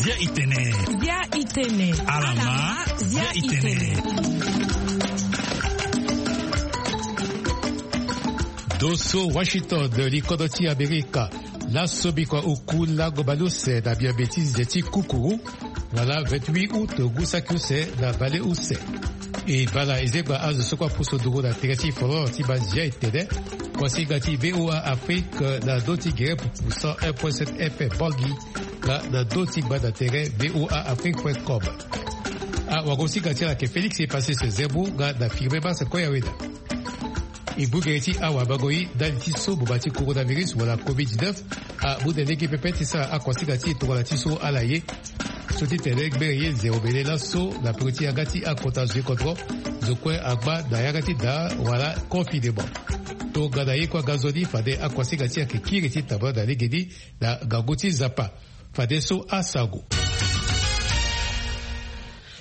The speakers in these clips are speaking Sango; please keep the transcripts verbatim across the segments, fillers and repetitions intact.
Zia itene. Zia itene. Alama. Zia itene. Doso Washington, likodo ti Amerika. Laso bikua oku lango baleuse na miambe ti nze ti kukuru, wala vingt-huit août, ngu saki use na baleuse. E bala ezengba azo so kue apusu nduru na tere ti folon ti mazia etene. Kuasinga ti VOA Afrique na ndö ti gere pupu cent un point sept F M Bangui, nga na ndö ti gbanda tere VOA Afrique point com. Awagosinga ti ala ayeke Félix Epasis Zembu nga na Firmin Mars Koyaweda. E bungere ti awamango ye ndali ti so boma ti coronavirus wala covid dix-neuf amu na lege pepe ti sara akuasinga ti e tongana ti so ala ye. So ti tene gbere ye nze omene laso na peko ti yanga ti akota zo ti kodro, zo kue angba na yanga ti daa wala confinement. Tongana ye kue aga nzoni fade akuasinga ti e ayeke kiri ti tambula na legeni na ngangu ti Nzapa. Fadeso asango.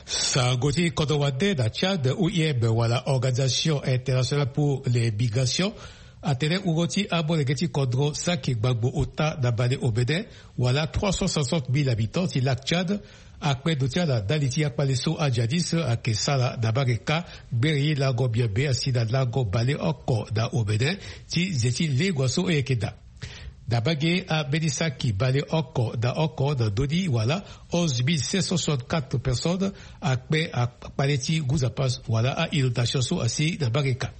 Sango ti kodro wande na Tchad, O I M wala Organisation Internationale pour les Migrations, atene wungo ti amolenge ti kodro saki gbagbo ota na bale omene, wala trois cent soixante mille habitants ti lac Tchad, akpe ndo ti ala ndali ti akpale so ajihadiste ayeke sara na Mareka, gbere ye lango miambe asi na lango baleoko na omene ti nze ti lengua so e yeke daa. Na mbage ambeni saki baleoko na oko na ndö ni wala onze mille cinq cent soixante-quatre personnes akpe akpale ti ngu Nzapa wala a-inondation so asi na Mareka.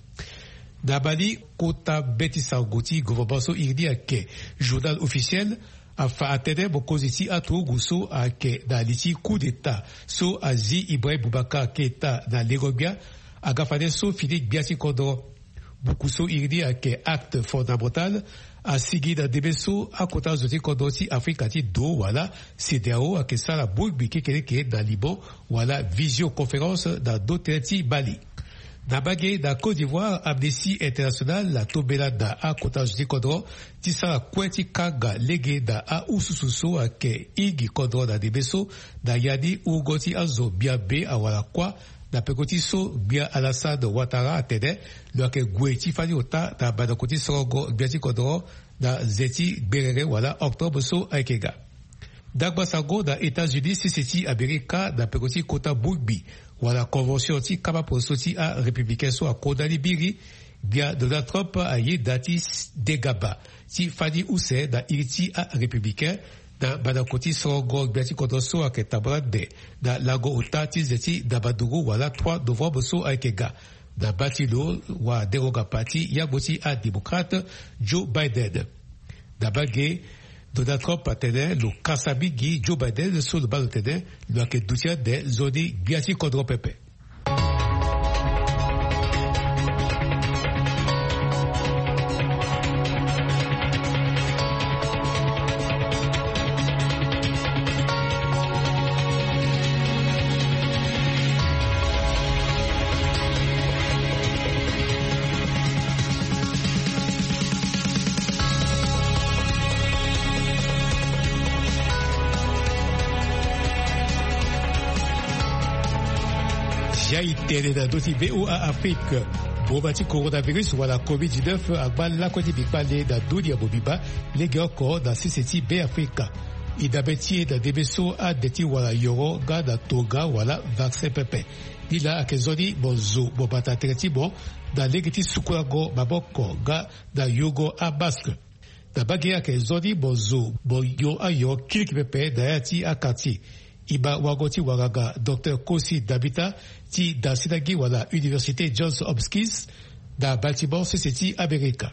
Na Mali, kota mbeti sango ti gouvernement so iri ni ayeke Journal Officiel afa atene mokonzi ti aturugu so ayeke na li ti coup d'état so azi Ibrahim Boubacar Keita na lengo-gbia aga fade so fini gbia ti kodro. Buku so iri ni ayeke Acte Fondamental asigi na ndembe so akota zo ti kodro ti Afrika ti do wala CEDEAO ayeke sara bongbi kekereke na limo wala visioconférence na ndö tënë ti Mali. Na mbage na Côte d'Ivoire, Amnesty International atombela na akota zo ti kodro ti sara kue ti kanga lege na ahususu so ayeke hingi kodro na ndembe so, na ya ni wungo ti azo miambe awara kuâ, na peko ti so gbia Alassane Ouattara atene lo yeke gue ti fani ota na mandako ti sorongo gbia ti kodro na nze ti gberere wala octobre so ayeke ga. Ndangba sango na États-Unis, sese ti Amerika, na peko ti kota bongbi wala convention ti kapa poso ti arépublicain so akonda ni biri, gbia Donald Trump ayeda ti s-, degaba ti fani use na iri ti arépublicain na mandako ti sorongo gbia ti kodro so ayeke tambula nde na lango ota ti nze ti ndabanduru wala trois novembre so ayeke ga, na baa ti lo wadengo-gapa ti yambo ti adémocrate Joe Biden. Na mbage, Donald Trump atene lo kasa mingi Joe Biden so lo baa lo tene lo yeke duti ande nzoni gbia ti kodro pepe. Zia e tene na ndö ti VOA Afrique. Boma ti coronavirus wala covid dix-neuf angba lakue ti bikpale na dunia mobimba, legeoko na sese ti Beafrika. E dabe ti e na ndembe so ande ti wara yoro nga na tonga wala vaccin pepe. Ni laa ayeke nzoni mo zo mo bata tere ti mo na lege ti sukulango maboko nga na yongo amaske. Na mbage ayeke nzoni mo zo mo yo ayo kiliki pepe na ya ti akartier. E ma wango ti wanganga Docteur Kosi Dabita ti Dasinagi wala Université Johns Hopkins na Baltimore, sese ti Amerika.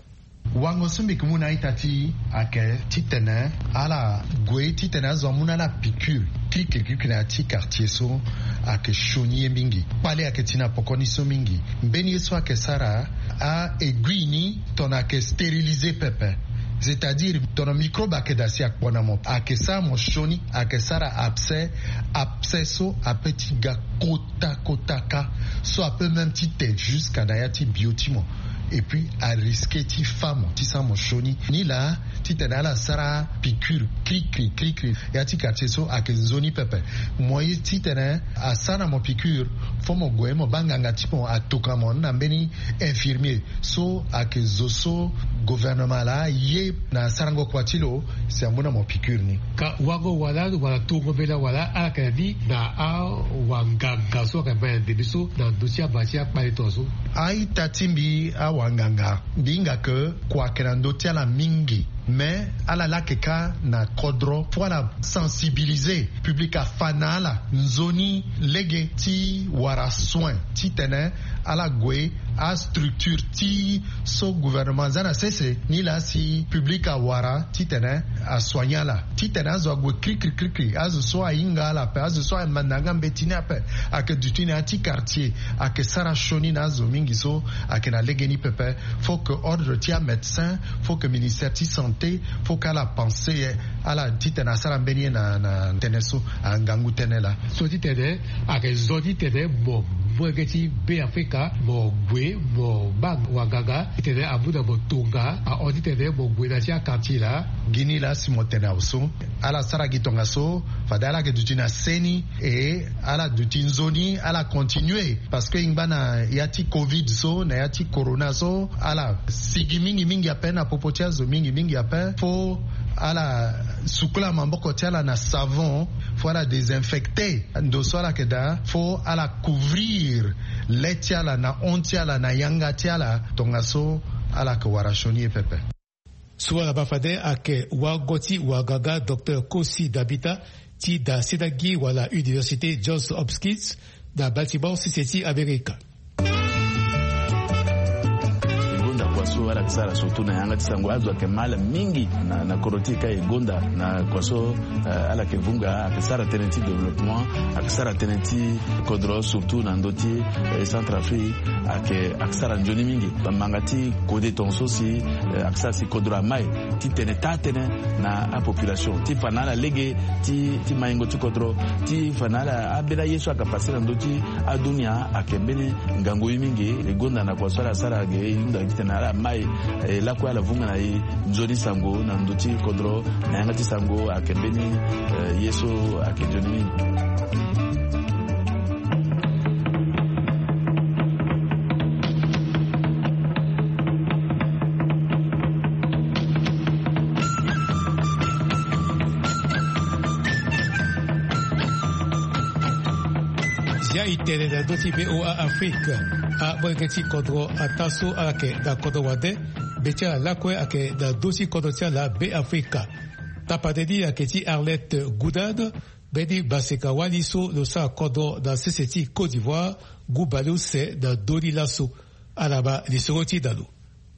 Wango so mbi yeke mu na a-ita ti e ayeke titene ala gue titene azo amu na ala piqûre. Kiliki kiliki na ya ti quartier so ayeke sioni ye mingi. Kpale ayeke ti na poko ni so mingi. Mbeni ye so ayeke sara a-aiguille ni tongana ayeke stériliser pepe. C'est-à-dire tongana microbe ayeke daa si akpo na mo, ayeke sara mo sioni, ayeke sara abcès. Abcès so ape ti ga kota kota kâ. So ape même ti te jusqu'à na ya ti bio ti mo. Et puis ariske ti fa mo ti sara mo sioni ni laa titene ala sara piqure krikri krikri. Ya ti quartier so ayeke nzoni pepe. Mo ye titene asara na mo piqure, fo mo gue mo baa nganga ti mo atoka mo na mbeni infirmier so ayeke zo so gouvernement laa ye na sarango kua ti lo. Si amu na mo piqure ni. Ka wango wala wala tongo mbela wala ala yeke na ni na awanganga so ayeke ma na ndembe so na ndö ti aba ti akpale tongaso. A-ita ti mbi awanganga mbi hinga ke kua ayeke na ndö ti ala mingi. Mais ala laa ayeke kâ na kodro fo ala sensibiliser public afa na ala nzoni lege ti wara soin titene ala gue astructure ti so gouvernement aza na sese ni laa si public awara titene asoigne ala titene azo ague krikri krikri azo so ahinga ala ape azo so amanda yanga mbeti ni ape. Ayeke duti na ya ti quartier ayeke sara sioni na azo mingi so ayeke na legeni pepe. Faut que ordre ti amédecin, faut que ministère ti santé, faut que ala pense ye ala titene asara mbeni ye na na tënë so. Angangu tënë laa. So titene ayeke zo titene mo mu lege ti be afrika mo gue mo baa wanganga titene amu na mo tonga ahon titene mo gue na ti aquartier laa. Gi ni laa si mo tene awe so ala sara gi tongaso. Fade ala yeke duti na seni e ala duti nzoni ala continue. Parce que e ngba na ya ti covid so na ya ti corona so ala sigi mingi mingi ape na popo ti azo mingi mingi ape fo ala sukula maboko ti ala na savon fo ala désinfecter ndo so ala yeke daa fo ala couvrir le ti ala na hon ti ala na yanga ti ala tongaso ala yeke wara sioni ye pepe. So ala baa fade ayeke wago ti wagaga docteur Kosi Dabita ti da sedagi wala université Johns Hopkins na Baltimore sese ti Amerika. E gonda kua so ala yeke sara surtout na yanga ti sango azo ayeke ma ala mingi na kodro ti e ka e gonda na kua so ala yeke vunga ayeke sara tënë ti développement ayeke sara tënë ti kodro surtout na ndö ti centrafrique ayeke ayeke sara nzoni mingi. Bamanga ti kode tongaso si ayeke sara si kodro ama e ti tene taa tënë na apopulation ti fa na ala lege ti maingo ti kodro ti fa na ala ambeni aye so ayeke pase na ndö ti adunia ayeke mbeni ngangu ye mingi. E gonda na kua so ala sara ge e hunda titene ala ma e lakue ala vunga na e nzoni sango na ndö ti kodro na yanga ti sango ayeke mbeni ye so ayeke nzoni mingi. Zia e tene na ndö ti voa afrique. Amolenge ti kodro ataa so ala yeke na kodro wande. Mbe ti ala lakue ayeke na ndö ti kodro ti ala be afrika. Tapande ni ayeke ti arlette goudade. Mbeni maseka-wali so lo sara kodro na sese ti côte d'ivoire ngu baleuse na ndö ni laso. Ala ma lisoro ti da lo.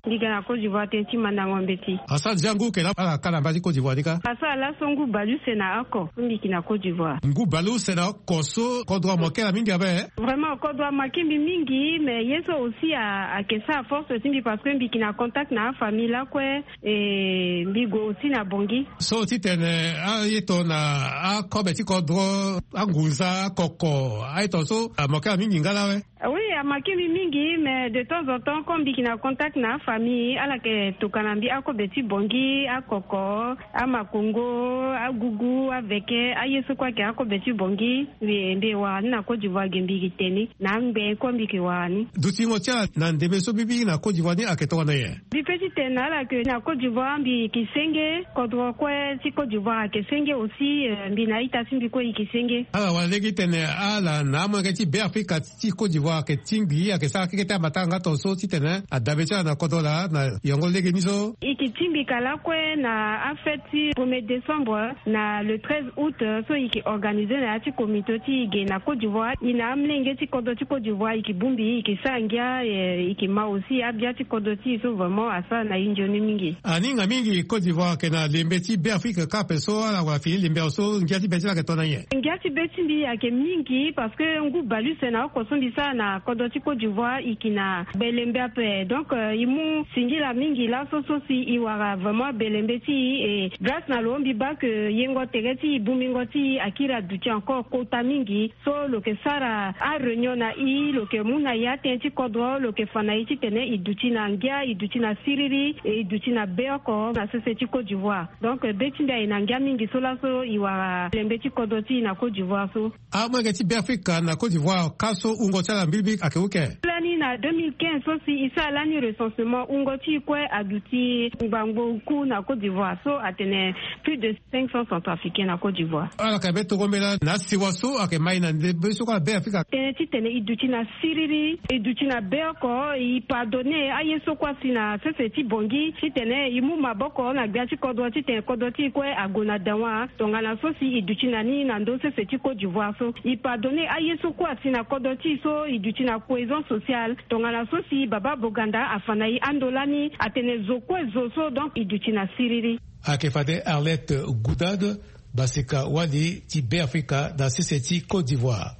Mbi ga na côte d'ivoire tënë ti mandango mbeti. Asara déjà ngu ke laa ala ka na mba ti côte d'ivoire ni kâ. Asara laso ngu baleuse na oko so mbi yeke na côte d'ivoire. Ngu baleuse na oko so kodro amake na mingi abe. Vraiment kodro amake mbi mingi mais ye so aussi ayeke sara force ti mbi parce que mbi yeke na contact na afamille lakue. E mbi gue aussi na bongi. So titene aye tongana akobe ti kodro angunza akoko aye tongaso amake na mingi nga laa we. Oui amake mbi mingi mais de temps en temps comme mbi yeke na contact na afamille ala yeke tokana mbi akobe ti bongi akoko amakongo agugu aveke aye so kue ayeke akobe ti bongi. Mbi mbi wara ni na côte d'ivoire ge mbi yeke te ni na angbe kue mbi yeke wara ni. Dutingo ti ala na ndembe so mbi biri na côte d'ivoire ni ayeke tongana nyen? Mbi pe ti tene na ala ke na côte d'ivoire mbi yeke senge kodro kue ti côte d'ivoire ayeke senge aussi. Mbi na a-ita ti mbi kue e yeke senge. Ala wara lege ti tene ala na amolenge ti be afrika ti côte d'ivoire ayeke tingbi ayeke sara keke ti amatanga nga tongaso titene adabe ti ala na kodro laa na yango lege ni so. E yeke tingbi ka lakue na afête ti premier décembre na le treize août so e yeke organise na ya ti komito ti e ge na côte d'ivoire e na amolenge ti kodro ti côte d'ivoire e yeke bongbi e yeke sara ngia. E yeke ma aussi abia ti kodro ti e so vraiment asara na e nzoni mingi. Aninga mingi côte d'ivoire ayeke na lembe ti be afrique kâ ape so ala wara fini lembe awe so ngia ti be ti ala ayeke tongana nyen? Ngia ti be ti mbi ayeke mingi parce que ngu baleuse na oko so mbi sara na kodro ti Côte d'Ivoire e yeke na belembe ape. Donc e mu singila mingi laso so si e wara vraiment belembe ti e. E grâce na lo mbi baa ke yengo tere ti e, bongbingo ti e akiri aduti encore kota mingi. So lo yeke sara aréunion na e, lo yeke mu na e atënë ti kodro, lo yeke fa na e titene e duti na ngia, e duti na siriri, e duti na be oko na sese ti Côte d'Ivoire. Donc be ti mbi aye na ngia mingi so laso e wara belembe ti kodro ti e na Côte d'Ivoire so. Amolenge ti Beafrika na Côte d'Ivoire, ka so wungo ti ala mbilimbili ayeke use? Lani na deux mille quinze so si e sara lani recensement, wungo ti e kue aduti ngbangbo oku na Côte d'Ivoire so atene plus de cinq cents Centrafricains na Côte d'Ivoire. Ala yeke be tongo mbela na asiwa so ayeke mai na ndembe so kue na Beafrika. Tënë titene e duti na siriri, e duti na be oko, e pardonner aye so kue asi na sese ti Bangui titene e mu maboko na gbia ti kodro titene kodro ti e kue ague na dawa. Tongana so si e duti na ni na ndö sese ti Côte d'Ivoire so, e pardonner aye so kue asi na kodro ti e so e duti na cohésion sociale. Tongana so si Baba Boganda afa na e ando lani atene zo kue zo so, donc e duti na siriri. Ayeke fade Arlette Goudade, basika wali ti Beafrika na sese ti Côte d'Ivoire.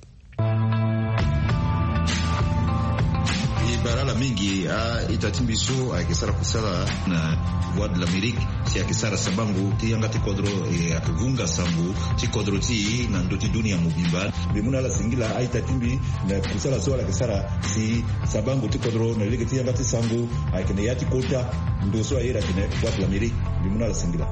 E bara ala mingi a-ita ti mbi so ayeke sara kusala na Voix de l'Amérique, si ayeke sara sabango ti yanga ti kodro, e ayeke vunga sango ti kodro ti e na ndö ti dunia mobimba. Mbi mu na ala singila a-ita ti mbi na kusala so ala yeke sara si sabango ti kodro na lege ti yanga ti sango ayeke na ya ti kota ndo so aye atene Voix de l'Amérique. Mbi mu na ala singila.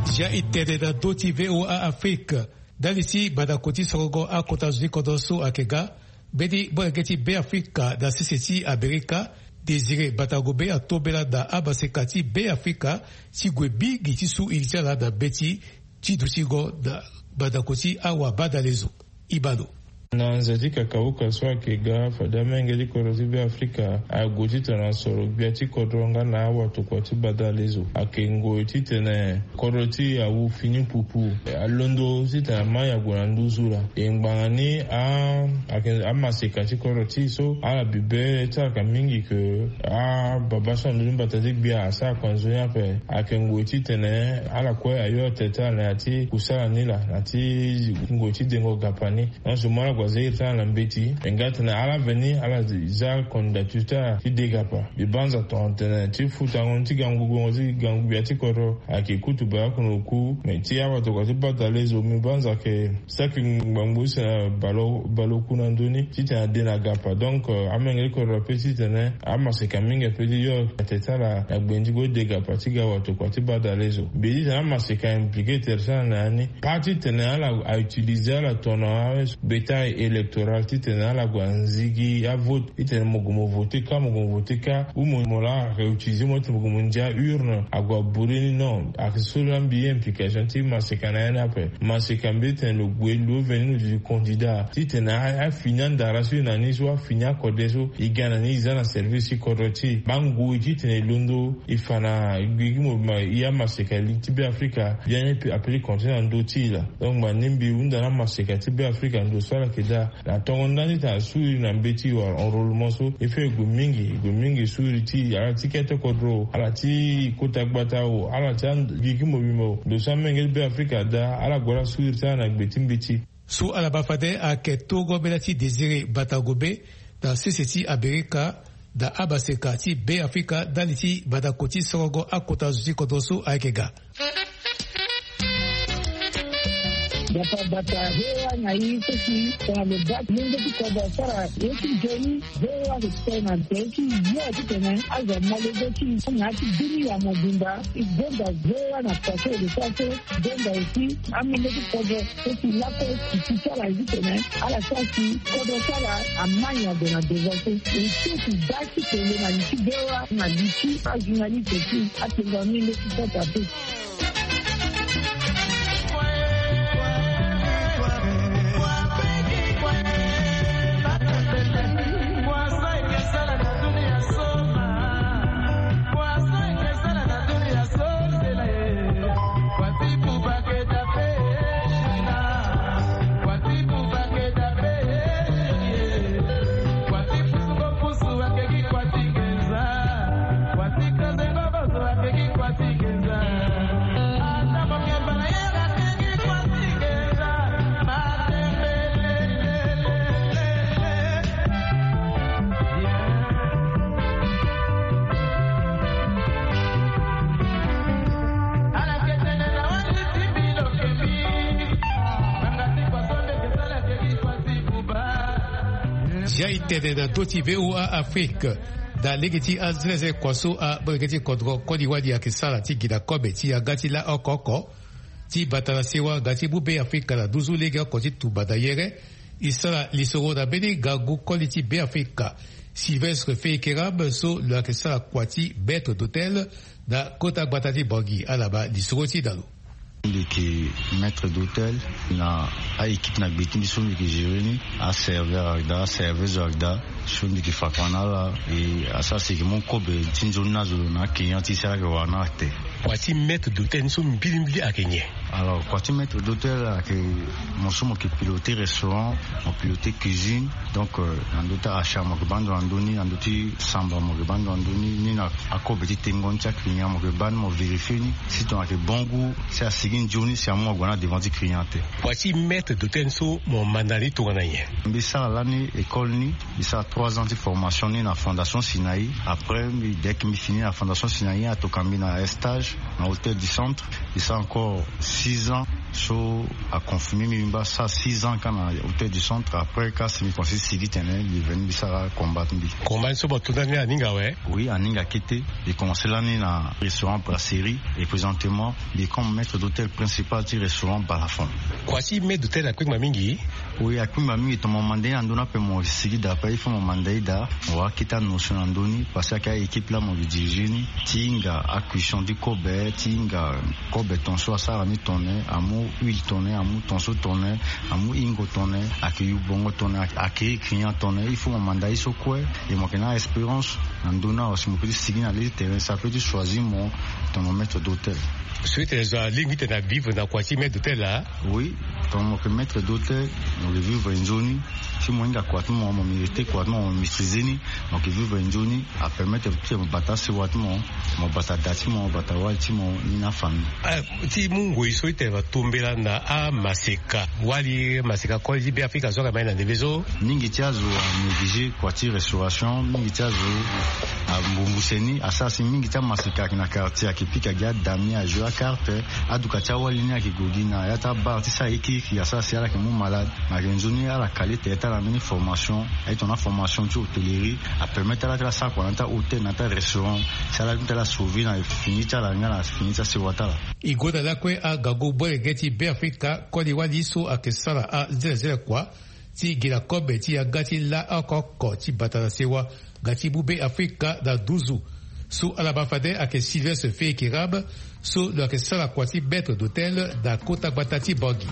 Zia e tene na ndö ti V O A Afrique. Ndali ti badako ti sorongo akota zo ti kodro so ayeke ga, mbeni molenge ti Beafrika na sese ti Amerika, Désiré Batangobe, atombela na amaseka ti Beafrika ti gue mingi ti su iri ti ala na mbeti ti dutingo na badako ti awabadalezo. Ibano. Na nze ti kakauka so ayeke ga, fade amolenge ti kodro ti Beafrika ague titene asoro gbia ti kodro nga na awatokua ti badalezo. Ayeke ngoi titene kodro ti e awu fini pupu. Alondo titene amai ague na nduzu laa. E ngbanga ni a, ayeke amaseka ti kodro ti e so ala bibe ti ala ka mingi ke ababa so na ndö ti mbata ti gbia asara kua nzoni ape. Ayeke ngoi titene ala kue ayo atene ti ala na ya ti kusala ni laa, na ya ti ngoi ti dengo gapa ni. Nyonso mu ala gue aza iri ti ala na mbeti. E nga atene ala veni ala za candidature ti ala ti de gapa. Mbi banza tongana tene ti futango ni ti gangu gbongo ti gangu gbia ti kodro ayeke kutu baleoko na oku. Me ti awatokua ti badalezo mbi banza ayeke saki ngbangbo use na baleoku na ndö ni titene ade na gapa. Donc amolenge ti kodro ape titene amaseka mingi ape ti yo atene ti ala na gbenzi go de gapa ti ga watokua ti badalezo. Mbi ye titene amaseka impliqué tere ti ala na ya ni. Pas titene ala a utiliser ala tongana bétail électoral titene ala gue anzigi avote. Titene mo gue mo voté ka, mo gue mo voté ka, ou mo, mo laa ayeke utiliser mo titene mo gue mo ndia urne ague abouré ni. Non, ayeke so laa mbi ye implication ti maseka na ya ni ape. Maseka mbi titene lo gue lo veni lo duti candidat titene a, afini andara so e na ni so, afini akode so e ga na ni, e za na service ti kodro ti e. Baa ngoi titene e londo e fa na gigi mo ma e amaseka li ti Beafrika, biani ape ti continent na ndö ti e laa. Donc ngbani mbi hunda na amaseka ti Beafrika ndo so ala yeke daa. Na tongo ndani ti tena su iri na mbeti wala enrôlement so e fait e gue mingi, e gue mingi su iri ti ala ti kete kodro, ala ti kota gbata o, ala ti gigi mobimba o. Ndo so amenge ti Beafrika adaa, ala gue ala su iri ti ala na gbe ti mbeti. So ala baa fade ayeke tongo mbela ti Désiré Batangobe na sese ti Amerika na amaseka ti Beafrika ndali ti badako ti sorongo akota zo ti kodro so ayeke ga. Bata bata, V O A na i so si tongana lo baa ti lenge ti kodro asara ye ti nzoni, V O A ayeke tene na tere ti yo titene azo amolenge ti i na ya ti dunia mobimba. E gonda V O A na pase e lo so aso. Gonda aussi amolenge ti kodro so si lakue e ti ti ala titene ala sara si kodro ti ala amai ague na devant so. E so si baa ti tene na li ti V O A na li ti ajournaliste ti atene na amolenge ti kodro ape. Ya e tene na ndö ti V O A Afrique, na lege ti azelezele kua so amolenge ti kodro koli wali ayeke sara ti gi na kobe ti yanga ti la oko oko ti bata na sewa nga ti mu Beafrika na nduzu legeoko ti tumba na yere. E sara lisoro na mbeni ngangu koli ti Beafrika, Sylvestre Feikeram, so lo yeke sara kua ti maître d'hôtel na kota gbata ti Bangui. Ala baa lisoro ti na lo. Mbi yeke maître d'hôtel na a-équipe na gbe ti mbi so mbi yeke gérer ni, aserveur ayeke daa, aserveuse ayeke daa, so mbi yeke fa kua na ala. E asara si e yeke mu kobe ti nzoni ni azo na aclient ti e si ala yeke wara na ala te. Kua ti maître d'hôtel ni so mbilimbili ayeke nyen? Alors, kua ti maître d'hôtel ayeke mo so mo yeke piloter restaurant, mo piloter cuisine. Donc, euh, na ndö ti achat mo yeke baa ndo na ndö ni, na ndö ti samba mo yeke baa ndo na ndö ni, ni na akobe ti tengo ni ti aclient mo yeke baa ni, mo vérifier ni si tongana ayeke bon goût, si asigi nzoni, si amu ague na devant ti client te. Kua ti maître d'hôtel ni so mo manda ni tongana nyen? Mbi sara lani école ni, mbi sara trois ans ti formation ni na Fondation Sinaï. Après mbi, dès que mbi fini na Fondation Sinaï, atoka mbi na stage na Hôtel du Centre. Mbi sara encore six ans, so aconfirmer mbi, mbi baa sara six ans kâ na Hôtel du Centre. Après kâ si mbi komanse ti sigi tene mbi veni mbi sara combat ti mbi. Combat ni so mo to ndani aninga awe? Oui, aninga kete. Mbi komanse lani na restaurant Brasserie et présentement mbi comme maître d'hôtel principal ti restaurant Balafon. Kua ti maître d'hôtel akpengba mingi? Oui, akpengba mingi, tongana mo manda ye na ndö ni ape mo sigi daa ape, il faut mo manda ye daa, mo wara kete anotion na ndö ni, parce que ayeke a-équipe laa mo yeke diriger ni, ti hinga acuisson ti kobe, ti hinga kobe ton so asara ni tongana nyen, amu huile tongana nyen, amu ton so tongana nyen, amu hingo tongana nyen, ayeke yu bongo tongana nyen, ayeke, ayeke client tongana nyen, il faut mo manda ye so kue. Et mo yeke na espérance na ndö ni awe si mo peut ti sigi na le ti terrain, si apeut ti choisir mo tongana mo maître d'hôtel. So e tene zo alingbi ti tene avivre na kua ti maître d'hôtel laa? Oui, tongana mo yeke maître d'hôtel, mo yeke vivre nzoni. Si mo hinga kua ti mo, mo mériter kua ti mo, mo maîtriser ni, mo yeke vivre nzoni. Apermettre ti mo bata asewa ti mo, mo bata da ti mo, mo bata wali ti mo, ni na afamille. Ah, ti mu ngoi so e tene mo tombela na amaseka, wali maseka koli ti Beafrika so ayeke ma ye na ndembe so? Mingi ti azo anégliger kua ti restauration, mingi ti azo ambumbuse ni, asara si mingi ti amaseka ayeke na quartier ayeke pika gi adami, ajouer acarte, aduka ti awali ni ayeke gue gi na ya ti abar ti sara ye kirikiri, asara si ala yeke mu malade. Me ayeke nzoni ala kale tere ti ala na mbeni formation, aye tongana formation ti hôtellerie, apermettre ala ti ala sara kua na ya ti ahôtel, na ya ti arestaurant, si ala ti ala sauver na fini ti ala nga na fini ti asewa ti ala. E gue na lakue angangu molenge ti Beafrika koli wali so ayeke sara azelezele kua ti gi na kobe ti yanga ti la oko oko ti bata na sewa nga ti mu Beafrika na nduzu. So ala ma fade ayeke Sylvestre Feikeram, so lo yeke sara kua ti maître d'hôtel na kota gbata ti Bangui.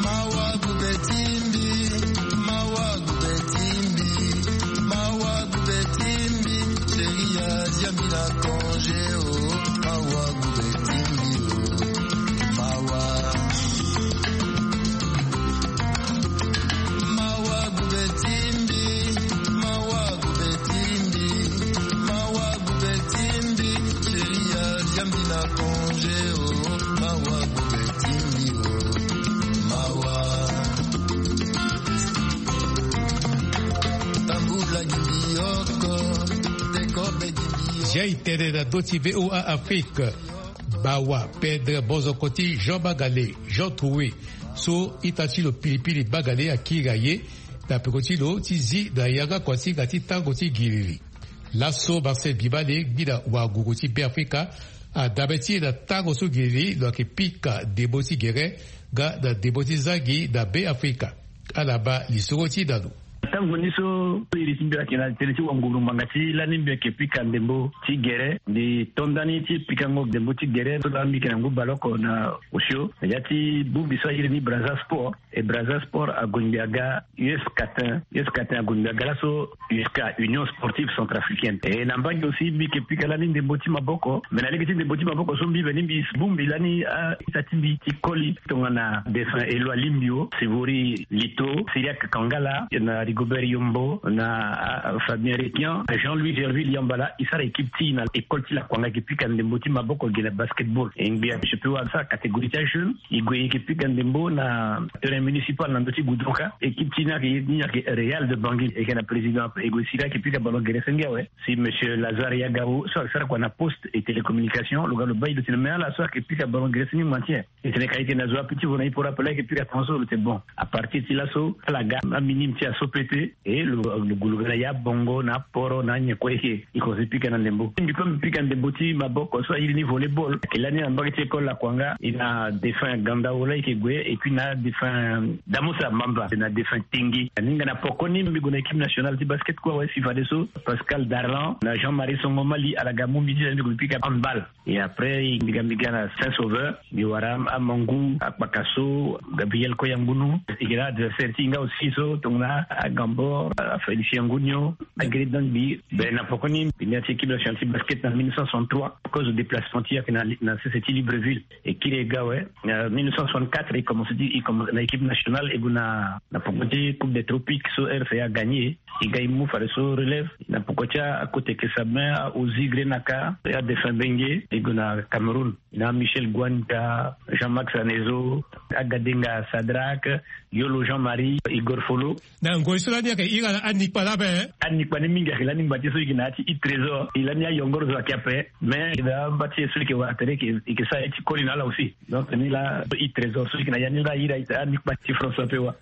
Mawa gube ti mbi, mawa gube ti mbi, mawa gube ti mbi, chérie, azia mbi na congé, oh, mawa gube ti mbi, oh, mawa. Mawa gube ti mbi, mawa gube ti mbi, mawa gube ti mbi, chérie, azia mbi na congé, oh, mawa gube ti mbi, oh, mawa. Tambula gi mbi oko, te kobe gi mbi oko. Zia e tene na ndö ti V O A Afrique. Mawa pendre mozoko ti Jean Bagale, Jean Troué, so ita ti lo pilipili Bagale akiri aye na peko ti lo ti zi na yanga kua ti hinga ti tango ti giriri. Laso Marcel Bibale, ngbina wanguru ti Beafrika, adabe ti e na tango so giriri lo yeke pika ndembo ti gere nga na ndembo ti zangi na Beafrika. Ala baa lisoro ti e na lo. Tango ni so iri ti mbi ayeke na tënë ti wanguru ngbanga ti lani mbi yeke pika ndembo ti gere, mbi to ndani ti pikango ndembo ti gere so lani mbi yeke na ngu baleoko na osio na ya ti bongbi so airi ni Brazza Sport. E Brazza Sport ague ngbi aga U S Catin, U S Catin ague ngbi aga laso U S C A, Union Sportive Centrafricaine. E na mbage aussi mbi yeke pika lani ndembo ti maboko. Me na lege ti ndembo ti maboko so mbi veni mbi bongbi lani a-ita ti mbi ti koli tongana défunt Eloi Limbio, Sivori Lito, Cyriaque Kangala, na Rigo Robert Yombo, na Fabien Requian, Jean-Louis Gerville Yambala, e sara équipe ti e na école ti Lakwanga, e ke pika ndembo ti maboko ge na basketball. E ngbi a je peux wara sara catégorie ti ajeune, e gue e ke pika ndembo na terrain municipal na ndö ti Goudron ka. Équipe ti e ni ayeke, ni ayeke Real de Bangui, e yeke na président ape, e gue sira e ke pika ballon gere senge awe. Si monsieur Lazare Yagao so asara kua na poste et télécommunication, lo ga lo baa e, lo tene mais ala so ayeke pika ballon gere senge maintien. E tene ka e yeke na zo ape ti vo na e poro ape la, e yeke pika tongaso. Lo tene bon, à partir ti laso ala ga aminime ti aso pete. E lo, lo gue lo ga na ya bongo na aporo na anyen kue, e yeke, e komanse pika na ndembo. Mbi kue mbi pika ndembo ti maboko so a iri ni volleyball, ayeke lani na mbage ti école Lakwanga, e na défunt Gandao la e yeke gue, et puis na défunt Damosa Mamba, na défunt Tengi. Aninga na pokoni mbi gue na équipe nationale ti basket kue awe, si fadeso Pascal Darlan na Jean-Marie Songomali ala ga mu mbi ti, mbi gue mbi pika handball. Et après mbi ga, mbi ga na Saint Sauveur, mbi wara amangu, akpakaso, Gabriel Koyangunu. E yeke na adversaire ti e nga aussi so tongana Agambor, Félicien Ngunio, Agri Dangbi. Ben na pokoni mbi na ya ti équipe nationale ti basket na mille neuf cent soixante-trois, à cause de déplacement ti e ayeke na, na sese ti Libreville. E kiri e ga awe. Na mille neuf cent soixante-quatre e commence ti, e commence na équipe nationale, e gue na, na poko ti Coupe des Tropiques so R C A a gagné. E ga e mu fadeso relève na poko ti akota eke Sabin, a Ozi Grenaka, a défunt Bengue, e gue na Cameroun. Na Michel Gwanja, Jean-Max Anezo, Agadenga Sadrac, Yolo Jean-Marie, Igor Folo. Na ngoi so lani ayeke iri ala anikpa laa ape. Anikpa ni mingi ayeke lani ngba ti e so e yeke na ya ti Yves Trésor. E lani ayongoro zo ayeke ape. Mais e na amba ti e so e yeke wara tere e yeke, e yeke sara ye ti koli na ala aussi. Donc ni laa Yves Trésor so e yeke na ya ni laa, e iri anikpa ti François Pewa.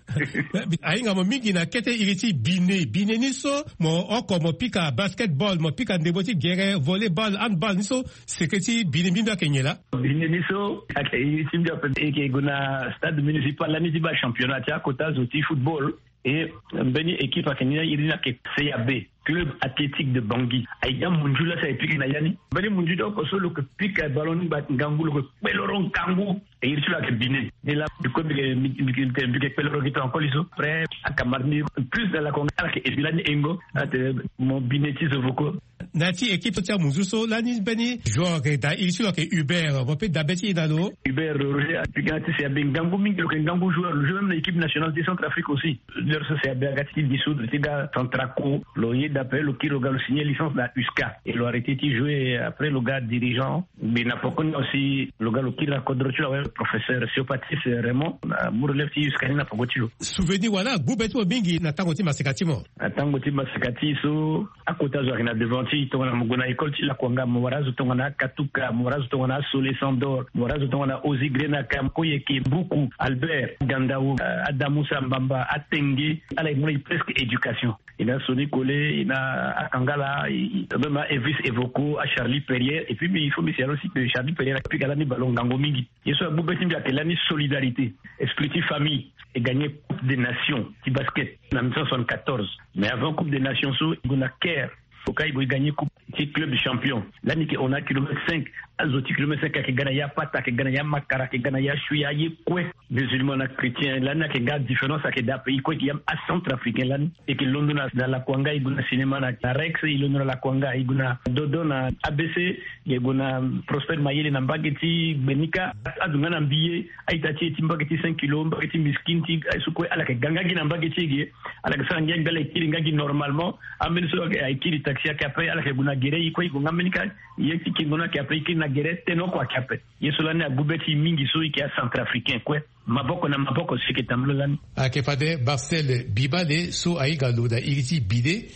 Ahinga mo mingi na kete iri ti bine. Bine ni so mo oko mo pika basketball, mo pika ndembo ti gere, volleyball, handball ni so, seke ti bine mbi mbi ayeke nyen laa? Bine ni so ayeke iri ti mbi ape, e yeke gue na stade municipal lani ti baa championnat ti akota zo ti football. E mbeni équipe ayeke ni, iri ni ayeke C A B, Club Athlétique de Bangui. Aye ti amunzu laa si ayeke pika na ya ni. Mbeni munzu ti oko so lo yeke pika ballon ni ngba ngangu, lo yeke kpeloro ngangu. E iri ti lo ayeke bine. Ni laa mbi kue mbi yeke, mbi yeke, mbi yeke kpeloro gi tonga koli so. Après akamarade ni plus na Lakwanga ala yeke ebi lani engo. Atene mo bine ti zo voko. Na ya ti équipe so ti amunzu so lani mbeni joueur ayeke daa iri ti lo ayeke Hubert, mo peut dabe ti e na lo? Hubert Roger apika na ya ti C A B ngangu mingi, lo yeke ngangu joueur, lo joue même na équipe nationale ti Centrafrique aussi. L'heure so C A B aga ti dissoudre ti ga Centraco, lo yeda ape, lo kiri lo ga lo signer licence na USCA et lo arrêter ti jouer. Après lo ga dirigeant. Mbi na poko ni aussi lo ga lo kiri na kodro ti lo awe, professeur Siopatis Raymond, amu relève ti USCA ni na poko ti lo. Souvenir wala agbu be ti mo mingi na tango ti maseka ti mo? Na tango ti maseka ti e so, akota zo ayeke na devant ti e. Tongana mo gue na école ti Lakwanga mo wara azo tongana Akatuka, mo wara azo tongana Asole Sandor, mo wara azo tongana Ozi Grenaka, Koyeke, Buku, Albert, Gandao, eh, Adamusa Mbamba, Atenge, ala yeke mu na e presque éducation. E na Sony Kole, e na Akangala, e, e, même a Evis Evoko, a Charlie Perrier. Et puis mbi, il faut mbi signale aussi que Charlie Perrier apika lani ballon ngangu mingi. Ye so agbu be ti mbi ayeke lani solidarité, esprit ti famille. E gagné Coupe des Nations ti basket na mille neuf cent soixante-quatorze. Mais avant Coupe des Nations so, e gue na Caire. Oka e gue e gagné coupe ti club champion. Lani e yeke hon na kilomètre cinq. Azo ti kilomètre cinq ayeke ga na ya Pata, ayeke ga na ya Makara, ayeke ga na ya Shuya, aye kue. Musulman na chrétien lani ayeke nga différence ayeke daa ape. E kue e yeke yam acentrafricain lani. E yeke londo na, na Lakwanga, e gue na cinéma na, na Rex, e londo na Lakwanga, e gue na Dodo na A B C, e gue na Prosper Mayele na mbage ti Gbenika. Azo nga na Mbiye, a-ita ti e ti mbage ti cinq kilo, mbage ti Miskin ti aye so kue, ala yeke ga nga gi na mbage ti e ge. Ala yeke sara ngia mbi, ala yeke kiri nga gi normalement. Ambeni so ayeke kiri taxi ayeke ape, ala yeke gue na gere, e kue e gue nga mbeni ka. Ye ti kingo ni ayeke ape, e kiri na gere, tene oko ayeke ape. Ye so lani agbu be ti e mingi so e yeke acentrafricain kue. Maboko na maboko so e yeke tambula lani. Ayeke fade Marcel Bibale so ahinga lo na iri ti bide,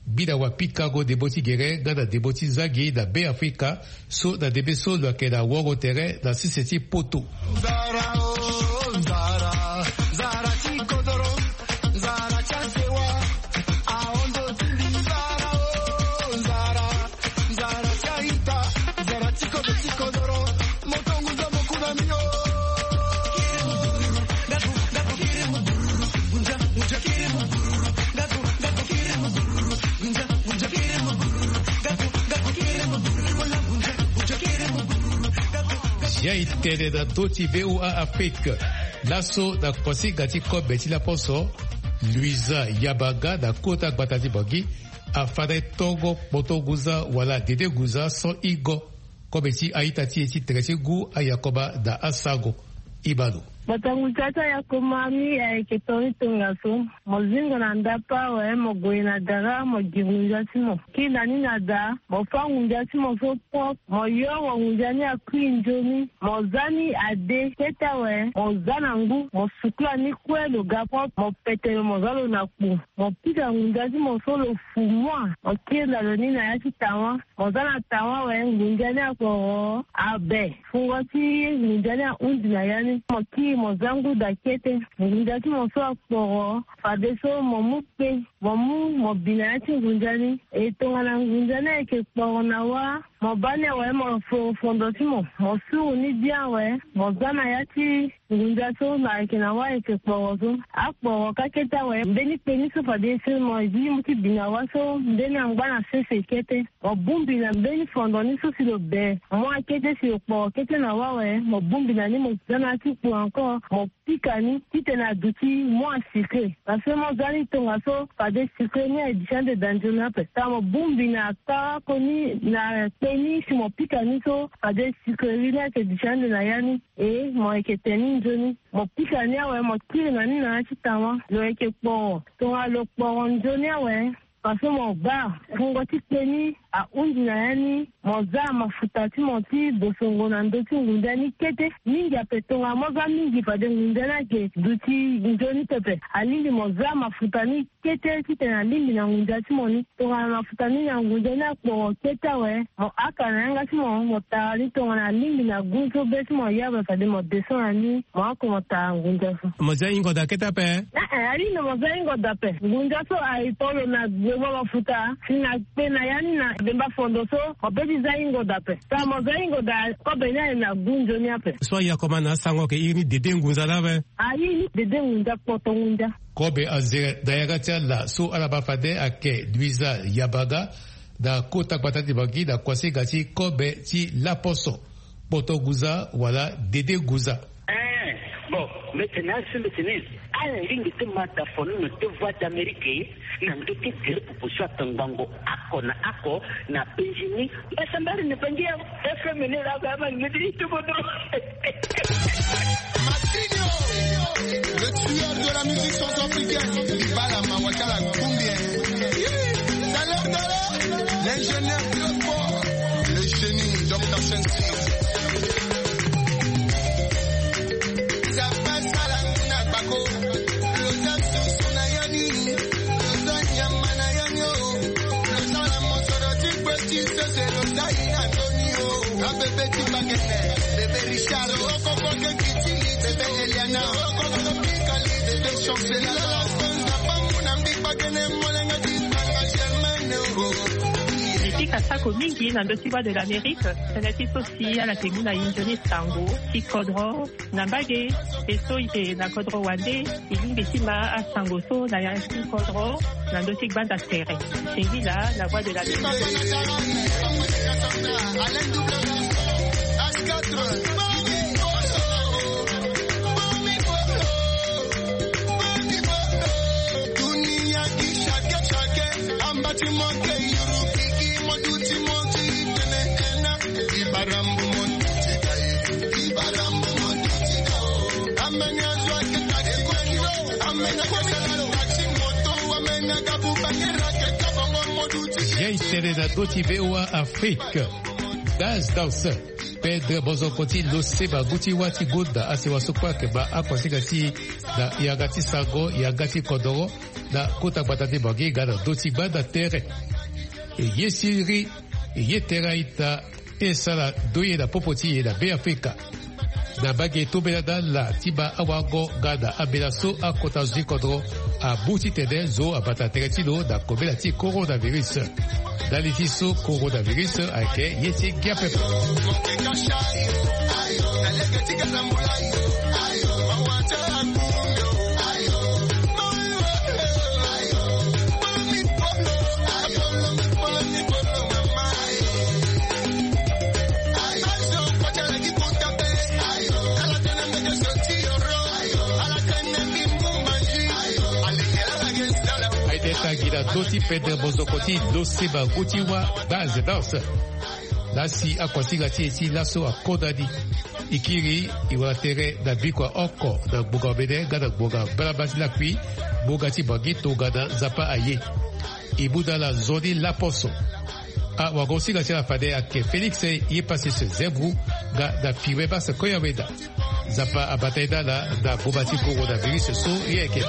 gbi na wapikango ndembo ti gere nga na ndembo ti zangi na Beafrika, so na ndembe so lo yeke na woro tere na sese ti poto. Nzara, oh, nzara, nzara ti kodoro, nzara ti asewa, ahondo ti mbi. Nzara, oh, nzara, nzara ti aita, nzara ti kodo ti kodoro, moto ngunza mo ku na mbi, oh. Zia e tene na ndö ti V O A Afrique. Laso na kosinga ti kobe ti laposo, Luisa Yabanga na kota gbata ti Bangui afanda e tongo kpoto ngunza wala dede ngunza so ingo. Kobe ti a-ita ti e ti tere ti ngu, aYakoba na asango. E ma lo. Bata ngu ti ata ya koma mi ayeke tonga ni tongaso. Mo zingo na ndapa awe, mo gue na dara, mo gi ngunza ti mo. Kiri na ni na da, mo fa ngunza ti mo so propre. Mo yo mo ngunza ni akui nzoni. Mo za ni ade kete awe, mo za na ngu, mo sukula ni kue lo ga propre, mo pete lo, mo za lo na kpu. Mo pika ngunza ti mo so lo fu mua, mo kiri na lo ni na ya ti tawa. Mo za na tawa awe, ngunza ni akporo abe. Fungo ti ngunza ni ahundi na ya ni. Mo kiri mo za ngu da kete. Ngunza ti mo so akporo. Fadeso mo mu kpe, mo mu mo bi na ya ti ngunza ni. E tongana ngunza ni ayeke kporo na wa, mo baa ni awe, mo foro fondo ti mo. Mo suru ni bien awe, mo za na ya ti ngunza so na ayeke na wa ayeke kporo so. Akporo ka kete awe, mbeni kpe ni so fade e siri mo, e zi mo ti bi na wa so, mbeni angba na sese kete. Mo bongbi na mbeni fondo ni so si lo be. Mo akete si lo kporo kete na wa awe, mo bongbi na ni, mo za na ya ti kpu encore, mo pika ni titene aduti mua sucre. Parce que mo za ni tongaso, fade sucre ni aye duti ande da nzoni ape. Tongana mo bongbi na kara koni na kpe ni si mo pika ni so, fade sucre ni ayeke duti ande na ya ni. E mo yeke te ni nzoni. Mo pika ni awe, mo kiri na ni na ya ti tawa. Lo yeke kporo. Tongana lo kporo nzoni awe, parce que mo baa fungo ti kpe ni ahundi na ya ni, mo za mafuta ti mo ti bosongo na ndö ti ngunza ni kete. Mingi ape, tongana mo za mingi fade ngunza ni ayeke duti nzoni pepe. Alingbi mo za mafuta ni kete titene alingbi na ngunza ti mo ni. Tongana mafuta ni na ngunza ni akporo kete awe, mo haka na yanga ti mo, mo tara ni tongana alingbi na gu so be ti mo ya awe, fade mo descend na ni, mo hako mo tara ngunza so. Mo za hingo da kete ape? Eh, eh, alingbi mo za hingo da ape. Ngunza so aye tolo na gboma mafuta, si na kpe na ya ni na bemba fondo so, mo be ti za hingo da ape. Tongana mo za hingo da, kobe ni aye na gu nzoni ape. So ayeke ma na asango ayeke iri ni dede ngunza laa ape? Aye ni dede ngunza, kpoto ngunza. Kobe anzere na yanga ti ala so ala baa fade ayeke Luisa Yabaga, na kota gbata ti Bangui, na kuasinga ti kobe ti laposo. Kpoto ngunza wala dede ngunza. Eh, bon, mbi tene asi mbi tene, ala lingbi ti ma da foni na deux voix d'Amérique na ndö ti gere proposition atangbango oko na oko na Benjini. Mbi sambari na Bangui awe. F M ni laa, ba ma ngedi ti bodo. Martinho, le tueur de la musique centrafricaine. Dibala, Mawakala, combien? Salerdala, l'ingénieur très fort, le génie, Docteur Shensi. Zapa salangu na bako, loza susu na yani, loza nyama na yani o. Loza na mosoro ti kwe ti sese, loza ina toni o. Abebe ti bakene, bebe Richard, okoko ke kiti, bebe Eliana, okoko ke pikali, bebe Chancela, la Fonda, bambu na mbi bakene, molenga ti tanga Germaine o. Mbi pika sako mingi na ndö ti Voix de l'Amérique, tënë ti so si ala yeke mu na e nzoni sango ti kodro. Na mbage, e so e yeke na kodro wande, e lingbi ti ma asango so na ya ti kodro na ndö ti gbanda tere. Singila na Voix de l'Amérique. Ye e tene na ndö ti V O A Afrique. Gaz Dance, pendre mozoko ti lo seba ngu ti wâ ti gonda asewa so kue ayeke ma akuasinga ti e na yanga ti sango, yanga ti kodoro, na kota gbata ti Bangui nga na ndö ti gbanda tere. E ye siriri, e ye tere a-ita, e sara ndoye na popo ti e na Beafrika. Na mbage, e tombela na ala ti ma awango nga na ambela so akota zo ti kodro amu titene zo abata tere ti lo na kobela ti coronavirus. Ndali ti so coronavirus ayeke ye ti ngia pepe. Aye ti tangi na ndö ti pendre mozoko ti lo seba ngu ti wâ, Gaz Dance. Lasi akuasinga ti e ti laso akonda ni. E kiri e wara tere na bikua oko na ngbonga omene nga na ngbonga mbalamba ti lakui. Ngbonga ti bangi tongana Nzapa aye. E mu na ala nzoni laposo. Awagosinga ti ala fade ayeke Félix ye Pacius Zembou nga na Firmin Basse Koyaweda. Nzapa abata ye na ala na boma ti coronavirus so ye ayeke.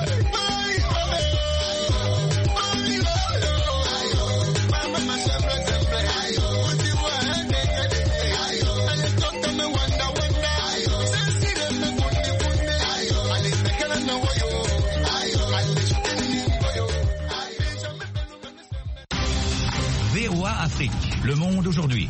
V O A Afrique, le monde aujourd'hui.